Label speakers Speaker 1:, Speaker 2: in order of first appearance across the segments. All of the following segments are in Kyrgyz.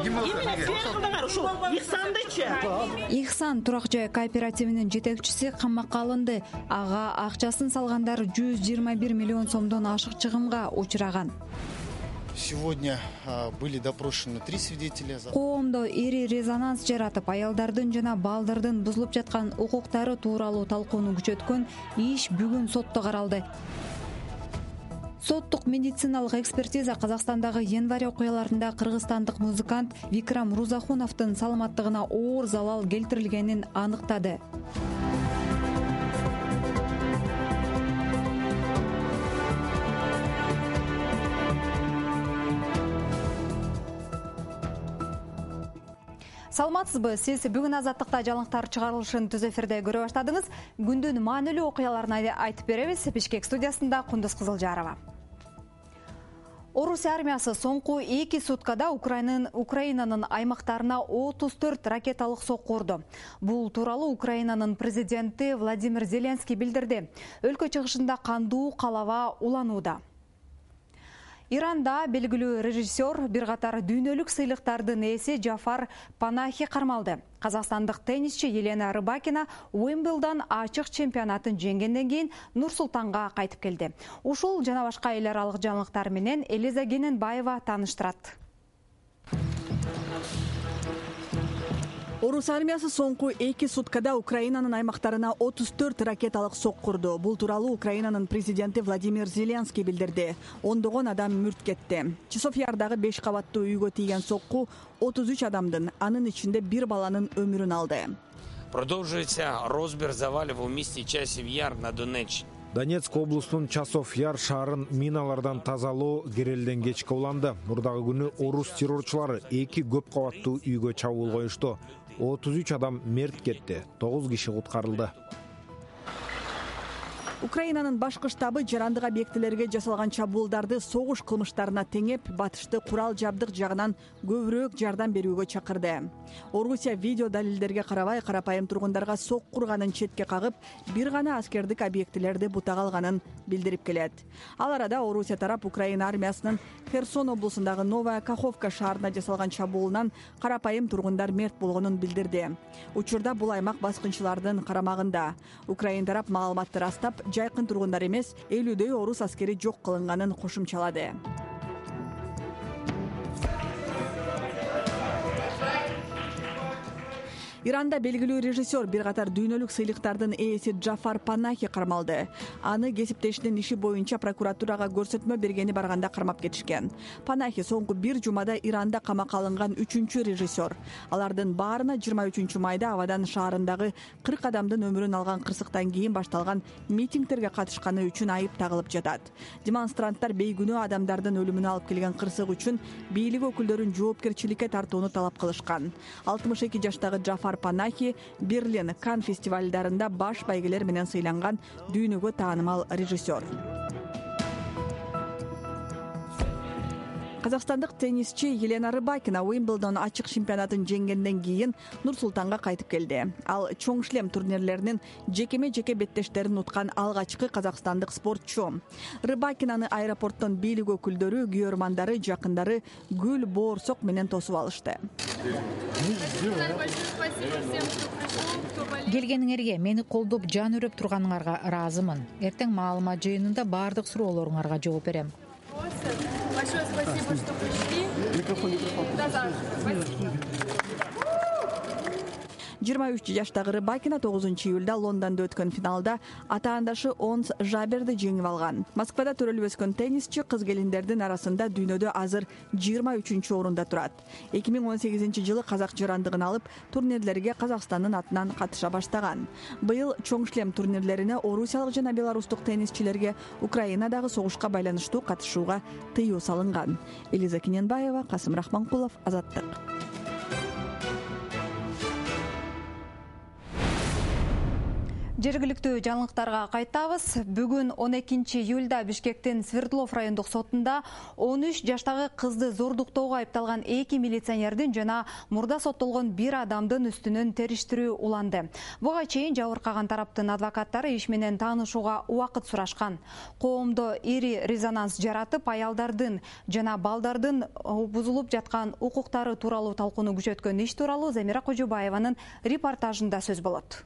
Speaker 1: Именно фермер ушул Ихсандычы.
Speaker 2: Ихсан турак жай кооперативинин жетекчиси камакка алынды. Ага акчасын салгандар 121 миллион сомдон ашык чыгымга учураган.
Speaker 3: Сегодня были допрошены 3 свидетеля.
Speaker 2: Коомдо ири резонанс жаратып, аялдардын жана балдардын бузулуп жаткан укуктары тууралуу талкууну күчөткөн иш бүгүн сотто каралды. Соттук медициналык экспертиза Казакстандагы январь окуяларында кыргызстандык музыкант Викрам Рузахуновдун саламаттыгына оор залал келтирилгенин аныктады. Саламатсызбы? Сиз бүгүн Азаттыкта жаңылыктар чыгарылышын түз эфирде көрө баштадыңыз. Күндүн маанилүү окуяларын айтып беребиз. Бишкек студиясында Кундуз Кызылжарова. Орус армиясы соңку 2 суткада Украинанын аймактарына 34 ракеталык сокку урду. Бул тууралуу Украинанын президенти Владимир Зеленский билдирди. Өлкө чыгышында кандуу калаба уланууда. Иранда белгилүү режиссер бир катар дүйнөлүк сыйлыктардын ээси Джафар Панахи кармалды. Казакстандык теннисчи Елена Рыбакина Уимблдон ачык чемпионатын жеңгенден кийин Нур-Султанга кайтып келди. Ушул жана башка эл аралык жаңылыктар менен Элиза Кененбаева тааныштырат.
Speaker 4: Орус армиясы соңку 2 суткада Украинанын аймактарына 34 ракеталык сокку урду. Бул тууралуу Украинанын президенти Владимир Зеленский билдирди. Ондогон адам мүрт кетти. Часофьярдагы 5 кабаттуу үйгө тийген сокку 33 адамдын, анын ичинде 1 баланын өмүрүн алды.
Speaker 5: Продолжується розбір завалів у місті Часів Яр на Донеччині.
Speaker 6: Донецк облусунун Часов Яр шаарын миналардан тазалоо керелден кечке уланды. Мурдагы күнү орус террорчулары 2 көп кабаттуу үйгө чабуул коюшту. 33 адам мерт кетти, 9 киши куткарылды.
Speaker 4: Украинанын башкы штабы жарандык объектилерге жасалган чабуулдарды согуш кылмыштарына теңеп, батышты курал жабдык жагынан көбүрөөк жардам берүүгө чакырды. Орусия видео далилдерге карабай карапайым тургундарга сокку урганын четке кагып, бир гана аскердик объектилерди бутага алганын билдирип келет. Ал арада Орусия тарап Украина армиясынын Херсон облусундагы Новая Каховка шаарына жасалган чабуулунан карапайым тургундар мерт болгонун билдирди. Учурда бул аймак баскынчылардын карамагында. Украина тарап маалыматты растап, жайкын тургундар эмес, 50дөй орус аскери жок кылынганын кошумчалады. Иранда белгилүү режиссер бир катар дүйнөлүк сыйлыктардын ээси Джафар Панахи кармалды. Аны кесиптешинин иши боюнча прокуратурага көрсөтмө бергени барганда кармап кетишкен. Панахи соңку 1 жумада Иранда камакка алынган 3-чү режиссер. Алардын баарына 23 майда Авадан шаарындагы 40 адамдын өмүрүн алган кырсыктан кийин башталган митингтерге катышканы үчүн айып тагылып жатат. Демонстранттар бейгүнөө адамдардын өлүмүнө алып келген кырсык үчүн бийлик өкүлдөрүн жоопкерчиликке тартууну талап кылышкан. 62 жаштагы Джафар Панахи Берлин, Кан фестивалдарында баш байгелер менен сыйланган дүйнөгө таанымал режиссер. Казакстандык теннисчи Елена Рыбакина Уимблдон ачык чемпионатын жеңгенден кийин Нур-Султанга кайтып келди. Ал чоң шлем турнирлеринин жекеме-жеке беттештерин уткан алгачкы казакстандык спортчу. Рыбакинаны аэропорттон бийлик өкүлдөрү, күйөрмандары, жакындары гүл, боорсок менен тосуп алышты.
Speaker 7: Келгениңерге, мени колдоп жан өрөп турганыңарга ыраазымын. Эртең маалымат жыйынында баардык суроолоруңарга жооп берем.
Speaker 8: Большое спасибо, что пришли. До завтра.
Speaker 4: 23 жаштагы Рыбакина 9 июлда Лондондо өткөн финалда атаандашы Онс Жаберди жеңип алган. Москвада төрөлүп өскөн теннисчи кыз келиндердин арасында дүйнөдө азыр 23-орунда турат. 2018-жылы казак жарандыгын алып, турнирлерге Казакстандын атынан катыша баштаган. Быйыл чоң шлем турнирлерине орусиялык жана белорустук теннисчилерге Украинадагы согушка байланыштуу катышууга тыюу салынган. Элиза Кененбаева, Касым Рахманкулов, Азаттык.
Speaker 2: Жергиликтүү жаңылыктарга кайтабыз. Бүгүн 12 июлда Бишкектин Свердлов райондук сотунда 13 жаштагы кызды зордуктоого айыпталган 2 милиционердин жана мурда соттолгон 1 адамдын үстүнөн териштирүү уланды. Буга чейин жабыркаган тараптын адвокаттары иш менен таанышууга убакыт сурашкан. Коомдо ири резонанс жаратып, аялдардын жана балдардын бузулуп жаткан укуктары тууралуу талкууну күчөткөн иш тууралуу Замира Кожобаеванын репортажында сөз болот.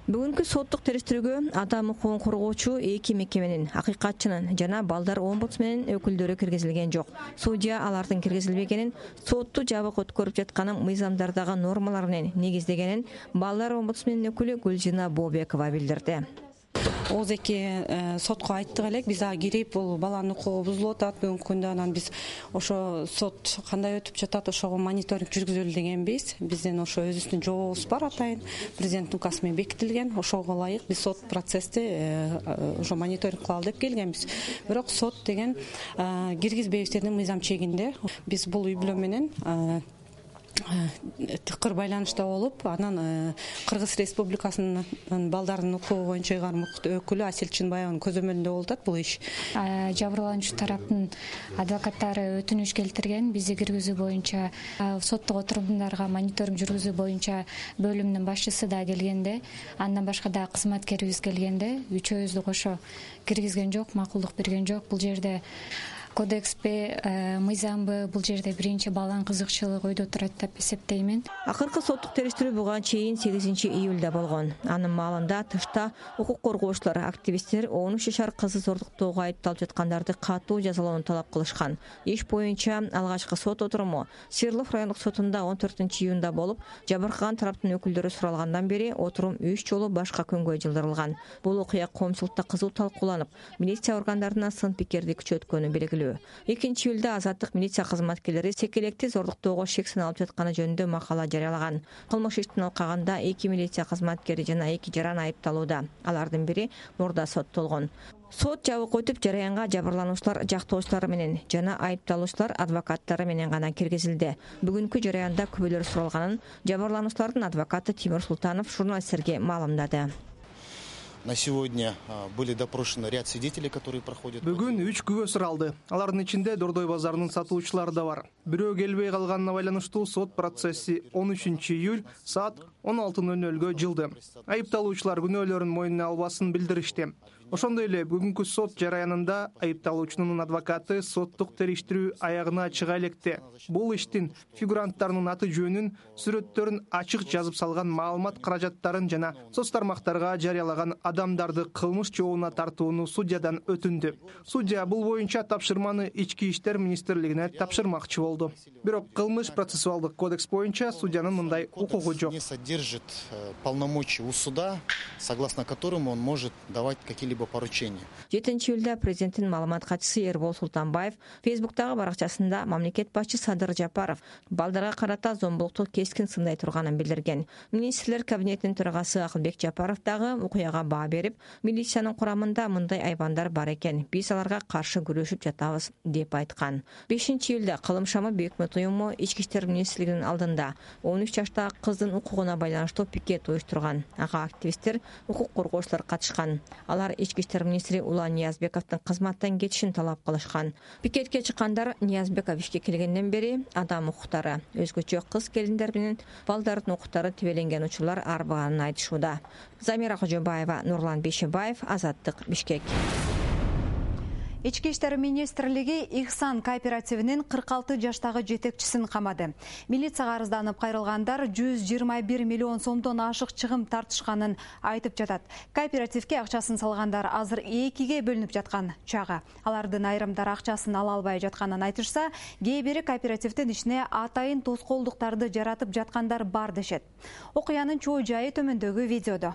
Speaker 9: Бүгүнкү соттук териштирүүгө адам укугун коргоочу 2 мекеменин, акыйкатчынын жана балдар омбудсменин өкүлдөрү киргизилген жок. Судья алардын киргизилбегенин, сотту жабык өткөрүп жатканын мыйзамдардагы нормалар менен негиздегенин балдар омбудсменин өкүлү Гүлжина Бобекова билдирди.
Speaker 10: Ооз-эки сотко айттык элек, биз ага кирип, бул баланын укугу бузулуп атат бүгүнкү күндө, анан биз ошо сот кандай өтүп жатат, ошого мониторинг жүргүзөлү дегенбиз. Биздин ошо өзүбүздүн жообубуз бар, атайын президенттин указы менен бекитилген. Ошого ылайык биз сот процессти ошо мониторинг кылалы деп келгенбиз. Бирок сот деген киргизбейбиз деди мыйзам чегинде. Биз бул үй бүлө менен тыкыр байланышта болуп, анан Кыргыз Республикасынын балдардын укугу боюнча ыйгарым өкүлү Асель Чынбаеванын көзөмөлүндө болуп атат бул иш.
Speaker 11: Жабырлануучу тараптын адвокаттары өтүнүш келтирген, бизди киргизүү боюнча соттук отурумдарга мониторинг жүргүзүү боюнча бөлүмдүн башчысы да келгенде, андан башка да кызматкерибиз келгенде, үчөөбүздү кошо киргизген жок, макулдук берген жок. Бул жерде кодекспи, мыйзамбы, бул жерде биринчи баланын кызыкчылыгы ойдо турат деп эсептеймин.
Speaker 9: Акыркы соттук териштирүү буга чейин 8 июлда болгон. Анын маалында тышта укук коргоочулар, активисттер 13 жашар кызды зордуктоого айыпталып жаткандарды катуу жазалоону талап кылышкан. Иш боюнча алгачкы сот отуруму Свердлов райондук сотунда 14 июнда болуп, жабыркаган тараптын өкүлдөрү суралгандан бери отурум 3 жолу башка күнгө жылдырылган. Бул окуя коомчулукта кызуу талкууланып, милиция органдарына сын пикирди күчөткөнү белгилүү. 2 июлда Азаттык милиция кызматкерлери секелекти зордуктоого шексин алып жатканы жөнүндө макала жарыялаган. Кылмыш иштин алкагында 2 милиция кызматкери жана 2 жаран айыпталууда. Алардын бири мурда соттолгон. Сот жабык өтүп, жараянга жабырлануучулар жактоочулары менен жана айыпталуучулар адвокаттары менен гана киргизилди. Бүгүнкү жараянда күбөлөр суралганын жабырлануучулардын адвокаты Тимур Султанов журналисттерге маалымдады.
Speaker 3: На сегодня были допрошены ряд свидетелей, которые проходят.
Speaker 12: Бүгүн 3 күбө суралды. Алардын ичинде Дордой базарынын сатуучулары да бар. Бирөө келбей калганына байланыштуу сот процесси 13 июль саат 16:00 жылды. Айыпталуучулар күнөөлөрүн мойнуна албасын билдиришти. Ошондой эле бүгүнкү сот жараянында айыпталуучунун адвокаты соттук териштирүү аягына чыга электе. Бул иштин фигуранттарынын аты жөнүн, сүрөттөрүн ачык жазып салган, маалымат каражаттарын жана соц тармактарга жарыялаган адамдарды кылмыш жообуна тартууну судьядан өтүндү. Судья бул боюнча тапшырманы Ички иштер министрлигине тапшырмакчы болду. Бирок кылмыш процессуалдык кодекс боюнча судьянын мындай укугу жок.
Speaker 3: Не содержит полномочий у суда, согласно которому он может давать какие-либо поручения.
Speaker 9: 7 июлда президенттин маалымат катчысы Эрбол Султанбаев Фейсбуктагы баракчасында мамлекет башчы Садыр Жапаров балдарга карата зомбулукту кескин сындай турганын билдирген. Министрлер кабинетинин төрагасы Акылбек Жапаров дагы окуяга баа берип, милициянын курамында мындай айбандар бар экен, биз аларга каршы күрөшүп жатабыз деп айткан. 5 июлда Кылым шамы Бейөкмөт уюму Ички иштер министрлигинин алдында 13 жаштагы кыздын укугуна байланыштуу пикет уюштурган. Ага активисттер, укук коргоочулар катышкан. Алар Ички иштер министри Улан Ниязбековдун кызматтан кетишин талап кылышкан. Пикетке чыккандар Ниязбеков ишке келгенден бери адам укуктары, өзгөчө кыз келиндер менен балдардын укуктары тебеленген учурлар арбаганын айтышууда. Замира Кожобаева, Нурлан Бейшебаев, Азаттык, Бишкек.
Speaker 2: Ички иштер министрлиги Ихсан кооперативинин 46 жаштагы жетекчисин камады. Милицияга арызданып кайрылгандар 121 миллион сомдон ашык чыгым тартышканын айтып жатат. Кооперативге акчасын салгандар азыр 2ге бөлүнүп жаткан чагы. Алардын айрымдары акчасын ала албай жатканын айтышса, кээ бири кооперативдин ишине атайын тоскоолдуктарды жаратып жаткандар бар дешет. Окуянын чоо жайы төмөндөгү видеодо.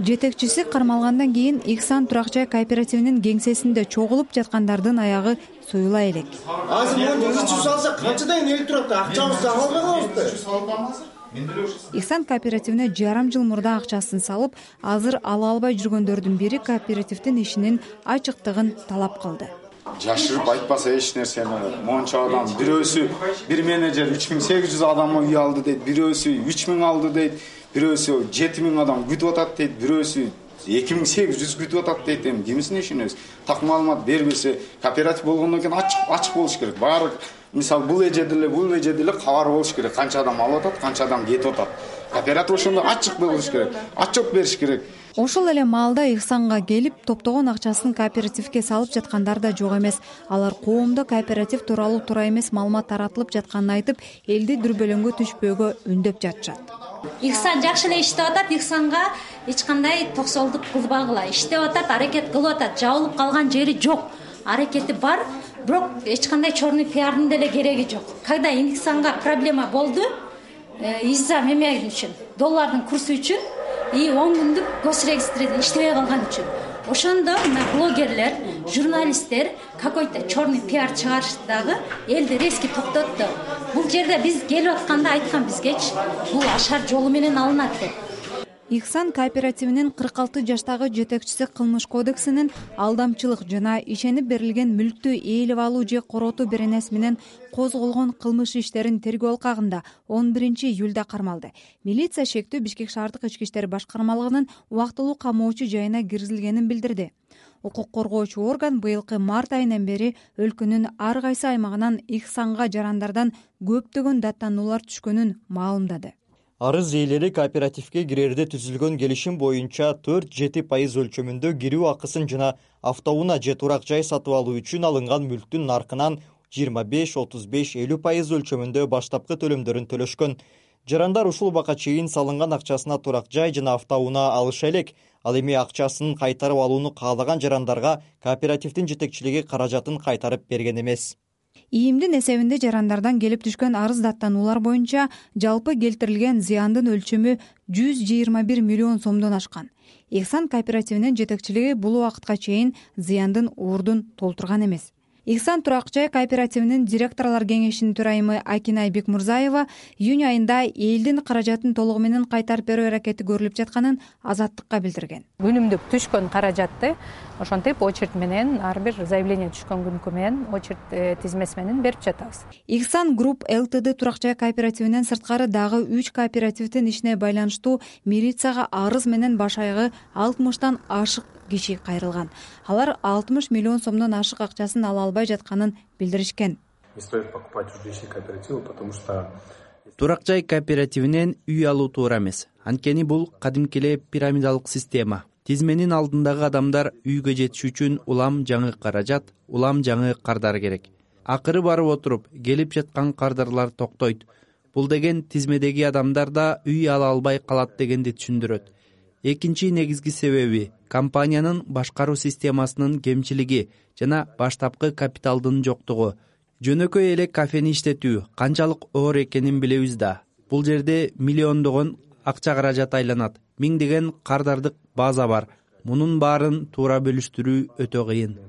Speaker 2: Жетекчиси кармалгандан кийин Ихсан турак жай кооперативинин кеңсесинде чогулуп жаткандардын аягы суюла элек.
Speaker 13: Азыр муну ичип салса канчадан эле турат, акчабызды ала албайбызбы?
Speaker 2: Ихсан кооперативине жарым жыл мурда акчасын салып, азыр ала албай жүргөндөрдүн бири кооперативдин ишинин ачыктыгын талап кылды.
Speaker 14: жашырып айтпаса эч нерсени. Монча адам, бирөөсү бир менеджер 3800 адамы үй алды дейт, бирөөсү 3000 алды дейт, бирөөсү 7000 адам күтүп атат дейт, бирөөсү 2800 күтүп атат дейт. Эми кимисине ишенебиз? Так маалымат бербесе, кооператив болгондон кийин ачык болуш керек. Баары мисалы бул эжеде кабар болуш керек. Канча адам алып атат, канча адам кетип атат. Кооператив ошондо ачык болуш керек. Отчет бериш керек.
Speaker 2: Ошол эле маалда Ихсанга келип, топтогон акчасын кооперативге салып жаткандар да жок эмес. Алар коомдо кооператив тууралуу туура эмес маалымат таратылып жатканын айтып, элди дүрбөлөңгө түшпөөгө үндөп жатышат.
Speaker 15: Ихсан жакшы эле иштеп атат, Ихсанга эч кандай токсолдук кылбагыла. Иштеп атат, аракет кылып атат, жабылып калган жери жок. Аракети бар, бирок эч кандай черный пиардын деле кереги жок. Когда Ихсанга проблема болду, из-за меме үчүн, доллардын курсу үчүн и 10 күндүк госрегистрде иштебей калган үчүн. Ошондо блогерлер, журналисттер какой-то черный пиар чыгарышты дагы элди резко токтотту. Бул жерде биз келип атканда айткан бизгечи, бул ашар жолу менен алынат деп.
Speaker 2: Ихсан кооперативинин 46 жаштагы жетекчиси кылмыш кодексинин алдамчылык жана ишенип берилген мүлктү ээлеп алуу же коротуу беренеси менен козголгон кылмыш иштерин тергөө алкагында 11 июлда кармалды. Милиция шектүү Бишкек шаардык ички иштер башкармалыгынын убактылуу камоочу жайына киргизилгенин билдирди. Укук коргоочу орган быйылкы март айынан бери өлкөнүн ар кайсы аймагынан Ихсанга жарандардан көптөгөн даттануулар түшкөнүн маалымдады.
Speaker 16: Арыз ээлери кооперативге кирерде түзүлгөн келишим боюнча 4-7% өлчөмүндө кирүү акысын жана автоунаа же турак жай сатып алуу үчүн алынган мүлктүн наркынан 25-35-50% өлчөмүндө баштапкы төлөмдөрүн төлөшкөн. Жарандар ушул убакка чейин салынган акчасына турак жай жана автоунаа алыша элек. Ал эми акчасын кайтарып алууну каалаган жарандарга кооперативдин жетекчилиги каражатын кайтарып берген эмес.
Speaker 2: ИИМдин эсебинде жарандардан келип түшкөн арыз даттануулар боюнча жалпы келтирилген зыяндын өлчөмү 121 миллион сомдон ашкан. Ихсан кооперативинин жетекчилиги бул убакытка чейин зыяндын ордун толтурган эмес. Ихсан турак жай кооперативинин директорлор кеңешинин төрайымы Акинай Бекмурзаева июнь айында элдин каражатын толугу менен кайтарып берүү аракети көрүлүп жатканын Азаттыкка билдирген.
Speaker 17: Күнүмдүк түшкөн каражатты ошентип очередь менен ар бир заявление түшкөн күнкү менен очередь тизмеси менен берип жатабыз.
Speaker 2: Ихсан Групп ЛТД турак жай кооперативинен сырткары дагы 3 кооперативдин ишине байланыштуу милицияга арыз менен баш аягы 60тан ашык киши кайрылган. Алар 60 миллион сомдон ашык акчасын ала албай жатканын билдиришкен.
Speaker 18: Не стоит покупать жилищные кооперативы, потому что турак жай кооперативинен үй алуу туура эмес. Анткени бул кадимки эле пирамидалык система. Тизменин алдындагы адамдар үйгө жетиш үчүн улам жаңы каражат, улам жаңы кардар керек. Акыры барып отуруп, келип жаткан кардарлар токтойт. Бул деген тизмедеги адамдар да үй ала албай калат дегенди түшүндүрөт. Экинчи негизги себеби компаниянын башкаруу системасынын кемчилиги жана баштапкы капиталдын жоктугу. Жөнөкөй эле кафени иштетүү канчалык оор экенин билебиз да. Бул жерде миллиондогон акча каражат айланат. Миңдеген кардардык база бар. Мунун баарын туура бөлүштүрүү өтө кыйын.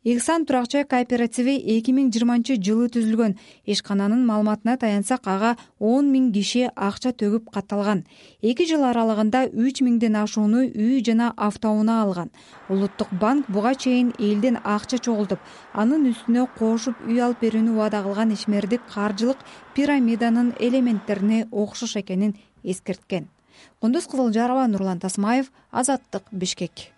Speaker 2: Ихсан турак жай кооперативи 2020 жылы түзүлгөн. Ишкананын маалыматына таянсак, ага 10 000 киши акча төгүп катталган. 2 жыл аралыгында 3 000ден ашууну үй жана автоунаа алган. Улуттук банк буга чейин элден акча чогултуп, анын үстүнө кошуп үй алып берүүнү убада кылган ишмердик каржылык пирамиданын элементтерине окшош экенин эскерткен. Кундуз Кызылжарова, Нурлан Тасмаев, Азаттык, Бишкек.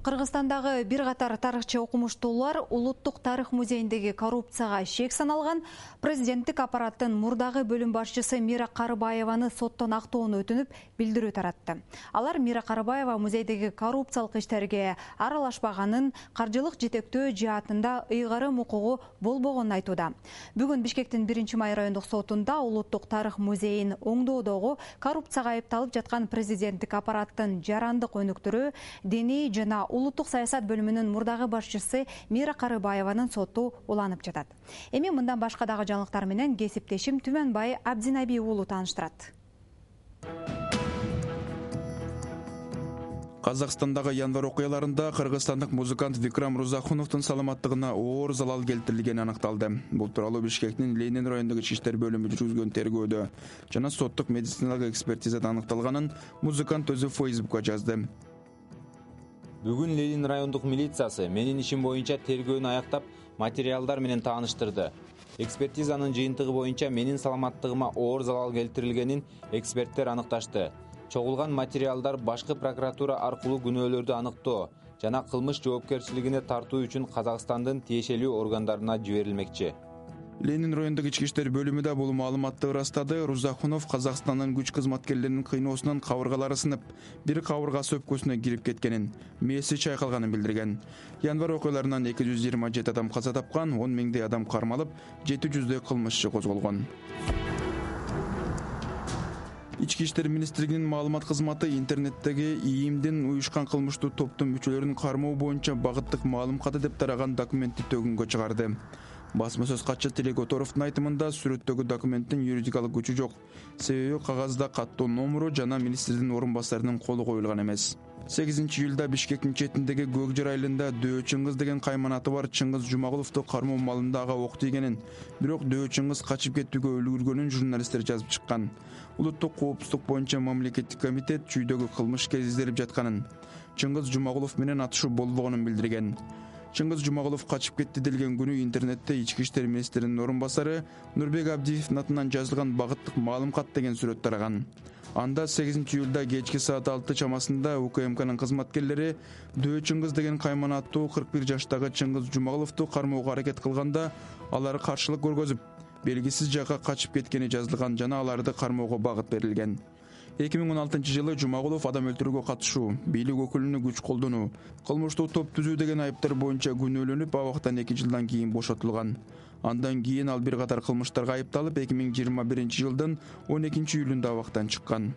Speaker 2: Кыргызстандагы бир катар тарыхчы окумуштуулар Улуттук тарых музейиндеги коррупцияга шек саналган президенттик аппараттын мурдагы бөлүм башчысы Мира Карыбаеваны соттон актоону өтүнүп, билдирүү таратты. Алар Мира Карыбаева музейдеги коррупциялык иштерге аралашпаганын, каржылык жетектөө жаатында ыйгарым укугу болбогонун айтууда. Бүгүн Бишкектин 1-май райондук сотунда Улуттук тарых музейин оңдоодогу коррупцияга айыпталып жаткан президенттик аппараттын жарандык өнүктүрүү, диний жана улуттук саясат бөлүмүнүн мурдагы башчысы Мира Карыбаеванын соту уланып жатат. Эми мындан башка дагы жаңылыктар менен кесиптешим Түмөнбай Абдинаби уулу тааныштырат.
Speaker 19: Казакстандагы январь окуяларында кыргызстандык музыкант Викрам Рузахуновдун саламаттыгына оор залал келтирилгени аныкталды. Бул тууралуу Бишкектин Ленин райондук ички иштер бөлүмү жүргүзгөн тергөөдө жана соттук медициналык экспертизада аныкталганын музыкант өзү Facebook'ка жазды.
Speaker 20: Бүгүн Ленин райондук милициясы менин ишим боюнча тергөөнү аяктап, материалдар менен тааныштырды. Экспертизанын жыйынтыгы боюнча менин саламаттыгыма оор залал келтирилгенин эксперттер аныкташты. Чогулган материалдар башкы прокуратура аркылуу күнөөлөрдү аныктоо жана кылмыш жоопкерчилигине тартуу үчүн Казакстандын тиешелүү органдарына жиберилмекчи.
Speaker 19: Ленин райондук ички иштер бөлүмү да бул маалыматты ырастады. Рузахунов Казакстандын күч кызматкерлеринин кыйноосунан кабыргалары сынып, бир кабыргасы өпкөсүнө кирип кеткенин, мээси чайкалганын билдирген. Январь окуяларынан 227 адам каза тапкан, 10 миңдей адам кармалып, 700дөй кылмышчы козголгон. Ички иштер министрлигинин маалымат кызматы интернеттеги ИИМдин уюшкан кылмыштуу топтун мүчөлөрүн кармоо боюнча багыттык маалым каты деп тараган документти төгүнгө чыгарды. Басма сөз катчы Тилек Которовдун айтымында сүрөттөгү документтин юридикалык күчү жок. Себеби кагазда каттоо номуру жана министрдин орун басарынын колу коюлган эмес. 8-июлда Бишкектин четиндеги Көк Жар айылында Дөө Чыңгыз деген кайманаты бар Чыңгыз Жумагуловду кармоо маалында ага ок тийгенин, бирок Дөө Чыңгыз качып кетүүгө үлгүргөнүн журналисттер жазып чыккан. Улуттук коопсуздук боюнча мамлекеттик комитет чүйдөгү кылмышка изделип жатканын, Чыңгыз Жумагулов менен атышуу болбогонун билдирген. Чыңгыз Жумагулов качып кетти делген күнү интернетте ички иштер министринин орун басары Нурбек Абдиевдин атынан жазылган багыттык маалым кат деген сүрөт тараган. Анда 8-июлда кечки саат 6 чамасында УКМКнын кызматкерлери Дөө Чыңгыз деген кайманаттуу 41 жаштагы Чыңгыз Жумагуловду кармоого аракет кылганда алар каршылык көргөзүп, белгисиз жакка качып кеткени жазылган жана аларды кармоого багыт берилген. 2016-жылы Жумагулов адам өлтүрүүгө катышуу, бийлик өкүлүнө күч колдонуу, кылмыштуу топ түзүү деген айыптар боюнча күнөөлөнүп, абактан 2 жылдан кийин бошотулган. Андан кийин ал бир катар кылмыштарга айыпталып, 2021-жылдын 12-июлунда абактан чыккан.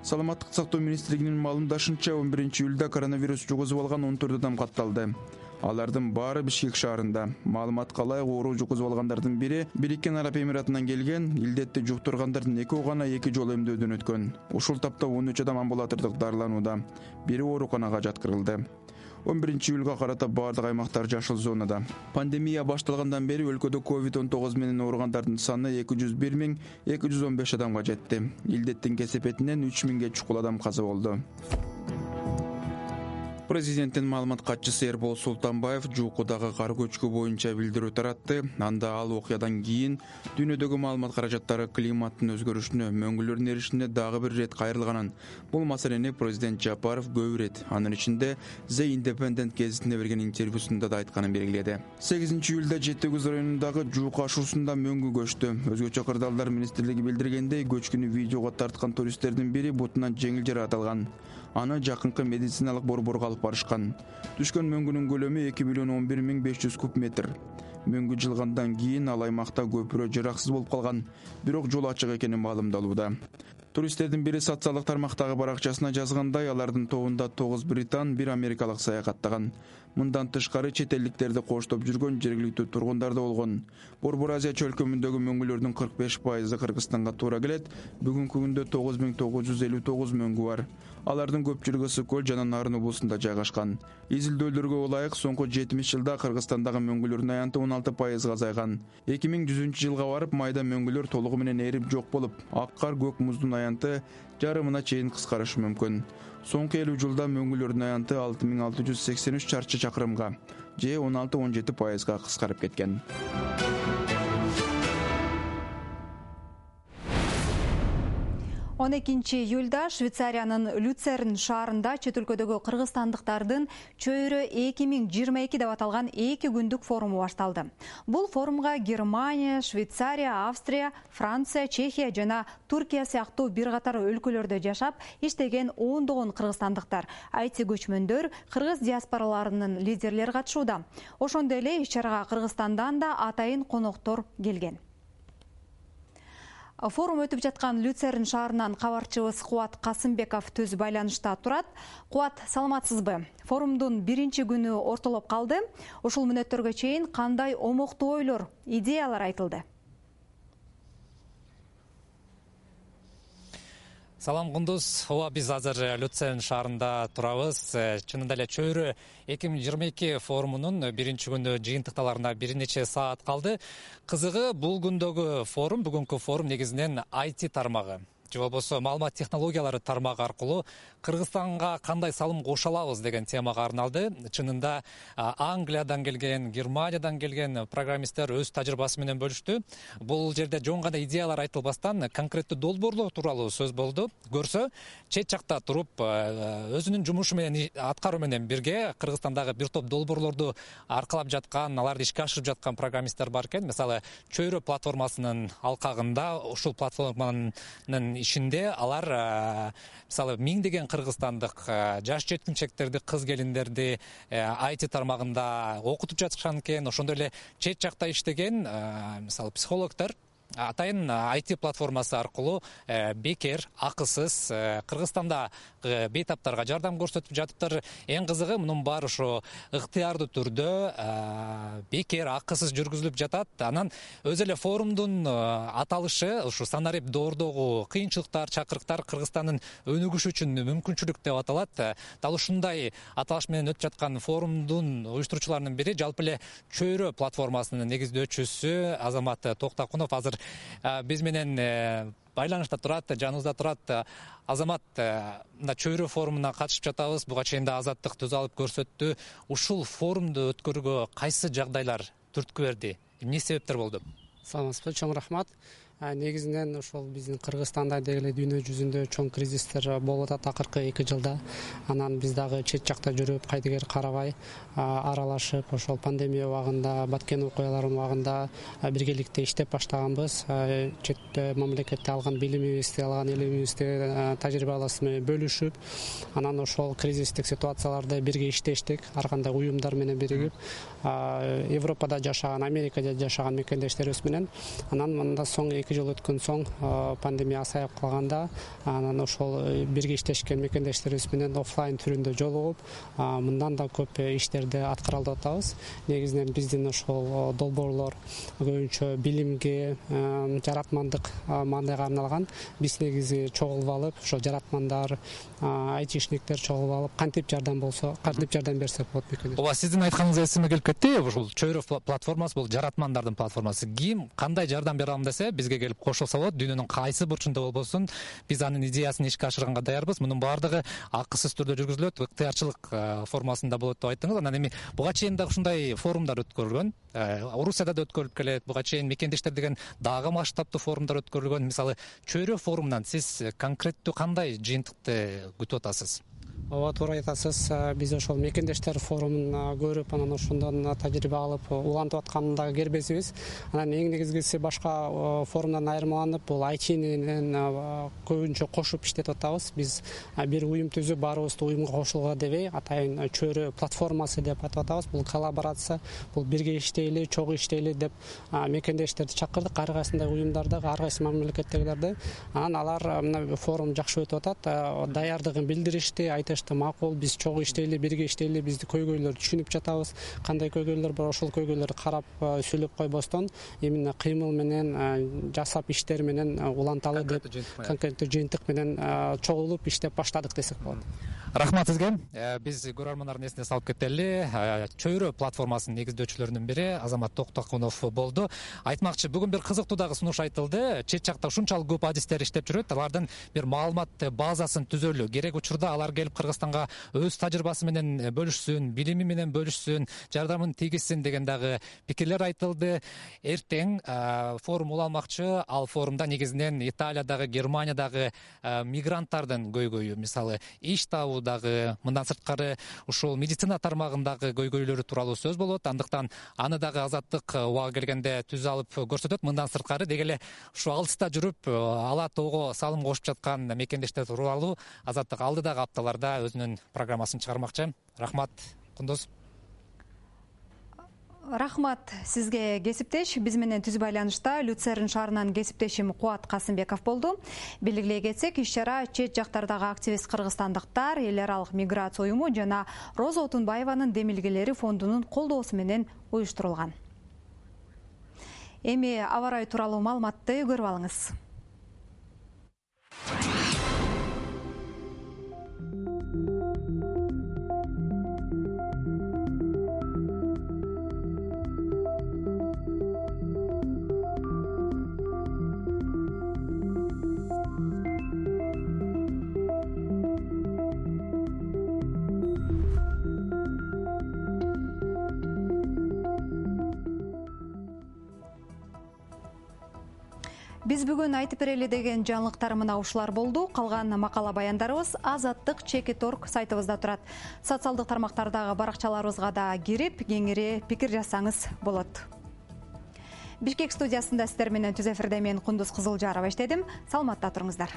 Speaker 19: Саламаттык сактоо министрлигинин маалымдашынча 11-июлда коронавирус жугузуп алган 14 адам катталды. Алардын баары Бишкек шаарында. Маалыматка ылайык оору жугузуп алгандардын бири Бириккен Араб Эмиратынан келген, илдетти жуктургандардын экөө гана 2 жолу эмдөөдөн өткөн. Ушул тапта 13 адам амбулатордук дарыланууда. Бири ооруканага жаткырылды. 11-июлга карата баардык аймактар жашыл зонада. Пандемия башталгандан бери өлкөдө COVID-19 менен ооругандардын саны 201.215 адамга жетти. Илдеттин кесепетинен 3000ге чукул адам каза болду. Президенттин маалымат катчысы Эрбол Султанбаев Жуукудагы кар көчкү боюнча билдирүү таратты. Анда ал окуядан кийин дүйнөдөгү маалымат каражаттары климаттын өзгөрүшүнө, мөңгүлөрдүн эришине дагы бир ирет кайрылганын, бул маселени президент Жапаров көп ирет, анын ичинде The Independent гезитине берген интервьюсунда да айтканын белгиледи. 8-июлда Жети Кыз районундагы Жуук ашуусунда мөңгү көчтү. Өзгөчө кырдаалдар министрлиги билдиргендей, көчкүнү видеого тарткан туристтердин бири бутунан жеңил жаракат алган. Аны жакынкы медициналык борборго алып барышкан. Түшкөн мөңгүнүн көлөмү 2.011.500 куб метр. Мөңгү жылгандан кийин ал аймакта көпүрө жараксыз болуп калган, бирок жол ачык экени маалымдалууда. Туристтердин бири социалдык тармактагы баракчасына жазгандай, алардын тобунда 9 британ, 1 америкалык саякаттаган. Мындан тышкары чет элдиктерди коштоп жүргөн жергиликтүү тургундар да болгон. Борбор Азия чөлкөмүндөгү мөңгүлөрдүн 45% Кыргызстанга туура келет. Бүгүнкү күндө 9959 мөңгү бар. Алардын көпчүлүгү Ысык-Көл жана Нарын облусунда жайгашкан. Изилдөөлөргө ылайык соңку 70 жылда Кыргызстандагы мөңгүлөрдүн аянты 16% азайган. 2100-жылга барып майда мөңгүлөр толугу менен эрип жок болуп, ак кар, көк муздун аянты жарымына чейин кыскарышы мүмкүн. Соңку 50 жылда мөңгүлөрдүн аянты 6683 чарчы чакырымга же 16-17% кыскарып кеткен.
Speaker 2: 12-июлда Швейцариянын Люцерн шаарында чет өлкөдөгү кыргызстандыктардын чөйрө 2022 деп аталган 2 күндүк форуму башталды. Бул форумга Германия, Швейцария, Австрия, Франция, Чехия жана Туркия сыяктуу бир катар өлкөлөрдө жашап иштеген ондогон кыргызстандыктар, IT көчмөндөр, кыргыз диаспораларынын лидерлери катышууда. Ошондой эле иш-чарага Кыргызстандан да атайын коноктор келген. Форум өтүп жаткан Люцерн шаарынан кабарчыбыз Кубат Касымбеков төз байланышта турат. Кубат, саламатсызбы? Форумдун биринчи күнү ортолоп калды. Ушул мүнөттөргө чейин кандай омоктуу ойлор, идеялар айтылды?
Speaker 21: Салам Кундуз. Ооба, биз азыр Люцерн шаарында турабыз. Чынында эле Чөйрө 2022 форумунун биринчи күнү жыйынтыкталарына бир нече саат калды. Кызыгы бул күндөгү форум, бүгүнкү форум негизинен IT тармагы же болбосо маалымат технологиялары тармагы аркылуу Кыргызстанга кандай салым кошо алабыз деген темага арналды. Чынында Англиядан келген, Германиядан келген программисттер өз тажрыйбасы менен бөлүштү. Бул жерде жөн гана идеялар айтылбастан конкреттүү долбоорлор тууралуу сөз болду. Көрсө, чет жакта туруп өзүнүн жумушу менен аткаруу менен бирге Кыргызстандагы бир топ долбоорлорду аркалап жаткан, аларды ишке ашырып жаткан программисттер бар экен. Мисалы, Чөйрө платформасынын алкагында ушул платформанын ишинде алар мисалы миңдеген кыргызстандык жаш жеткинчектерди, кыз келиндерди IT тармагында окутуп жатышкан экен. Ошондой эле чет жакта иштеген мисалы психологдор атайын IT платформасы аркылуу бекер, акысыз Кыргызстанда бейтаптарга жардам көрсөтүп жатыптыр. Эң кызыгы мунун баары ошо ыктыярдуу түрдө бекер, акысыз жүргүзүлүп жатат. Анан өзү эле форумдун аталышы ушу санарип доордогу кыйынчылыктар, чакырыктар Кыргызстандын өнүгүшү үчүн мүмкүнчүлүк деп аталат. Дал ушундай аталыш менен өтүп жаткан форумдун уюштуруучуларынын бири жалпы эле Чөйрө платформасынын негиздөөчүсү Азамат Токтакунов азыр биз менен байланышта турат, жаныбызда турат. Азамат, мына Чөйрө форумуна катышып жатабыз. Буга чейин да Азаттык түз алып көрсөттү. Ушул форумду өткөрүүгө кайсы жагдайлар түрткү берди? Эмне себептер болду?
Speaker 22: Саламатсызбы, чоң рахмат. Негизинен ошол биздин Кыргызстанда деги дүйнө жүзүндө чоң кризистер болуп атат акыркы 2 жылда. Анан биз дагы чет жакта жүрүп, кайдыгер карабай, аралашып, ошол пандемия убагында, баткен окуялардын убагында биргеликте иштеп баштаганбыз. Чет мамлекетте алган билимибизди, алган илимибизди, тажрыйбаларыбыз менен бөлүшүп, анан ошол кризистик ситуацияларда бирге иштештик, ар кандай уюмдар менен биригип, Европада жашаган, Америкада жашаган мекендештерибиз менен. Анан мында соң 2 жыл өткөн соң пандемия асайып калганда, анан ошол бирге иштешкен мекендештерибиз менен офлайн түрүндө жолугуп, мындан да көп иштерди аткарып атабыз. Негизинен биздин ошол долбоорлор көбүнчө билимге, жаратмандык маанайга арналган. Биз негизи чогулуп алып, ошо жаратмандар, айтишниктер чогулуп алып, кантип жардам болсо, кантип жардам берсек болот мекендеш.
Speaker 21: Ооба, сиздин айтканыңыз эсиме келип кетти. Ушул Чөйрө платформасы бул жаратмандардын платформасы. Ким кандай жардам бере алам десе, бизге келип кошулса болот. Дүйнөнүн кайсы бурчунда болбосун, биз анын идеясын ишке ашырганга даярбыз. Мунун баардыгы акысыз түрдө жүргүзүлөт, ыктыярчылык формасында болот деп айттыңыз. Анан эми буга чейин да ушундай форумдар өткөрүлгөн. Орусияда да өткөрүлүп келет. Буга чейин мекендештер деген дагы масштабтуу форумдар өткөрүлгөн. Мисалы, Чөйрө форумунан сиз конкреттүү кандай жыйынтыкты күтүп атасыз?
Speaker 22: Ооба, туура айтасыз. Биз ошол мекендештер форумун көрүп, анан ошондон тажрыйба алып, улантып аткандагы кербезибиз. Анан эң негизгиси башка форумдан айырмаланып, бул IT-нен көбүнчө кошуп иштетип атабыз. Биз бир уюм түзүп, баарыбызды уюмга кошулууга дебей, атайын Чөйрө платформасы деп атап атабыз. Бул коллаборация, бул бирге иштейли, чогуу иштейли деп мекендештерди чакырдык, ар кайсындай уюмдарды, ар кайсы мамлекеттегилерди. Анан алар мына форум жакшы өтүп атат, даярдыгын билдиришти, макул, биз чогуу иштейли, бирге иштейли, бизди көйгөйлөрдү түшүнүп жатабыз. Кандай көйгөйлөр бар, ошол көйгөйлөрдү карап сүйлөп койбостон, именно кыймыл менен, жасап иштер менен уланталы деп конкреттүү жыйынтык менен чогулуп иштеп баштадык десек болот.
Speaker 21: Рахмат сизге. Биз көрөрмандардын эсине салып кетели. Чөйрө платформасынын негиздөөчүлөрүнүн бири Азамат Токтакунов болду. Айтмакчы, бүгүн бир кызыктуу дагы сунуш айтылды. Чет жакта ушунчалык көп адистер иштеп жүрөт. Алардын бир маалымат базасын түзөлү керек. Учурда алар келип Кыргызстанга өз тажрыйбасы менен бөлүшсүн, билими менен бөлүшсүн, жардамын тийгизсин деген дагы пикирлер айтылды. Эртең форум уланмакчы. Ал форумда негизинен Италиядагы, Германиядагы мигранттардын көйгөйү, мисалы иш табуудагы, мындан сырткары ушул медицина тармагындагы көйгөйлөрү тууралуу сөз болот. Андыктан аны дагы Азаттык убага келгенде түз алып көрсөтөт. Мындан сырткары деги эле ушу алыста жүрүп, ала тоого салым кошуп жаткан мекендештер тууралуу Азаттык алдыдагы апталарда өзүнүн программасын чыгармакчы. Рахмат, Кундуз.
Speaker 2: Рахмат сизге, кесиптеш. Биз менен түз байланышта Люцерн шаарынан кесиптешим Кубат Касымбеков болду. Белгилей кетсек, иш-чара чет жактардагы активист кыргызстандыктар, эл аралык миграция уюму жана Роза Отунбаеванын демилгелери фондунун колдоосу менен уюштурулган. Эми аба ырайы тууралуу маалыматты көрүп алыңыз. Биз бүгүн айтып берели деген жаңылыктар мына ушулар болду. Калган макала баяндарыбыз Азаттык Чекит.орг сайтыбызда турат. Социалдык тармактардагы баракчаларыбызга да кирип, кеңири пикир жазсаңыз болот. Бишкек студиясында сиздер менен түз эфирде мен Кундуз Кызылжарова иштедим. Саламатта туруңуздар.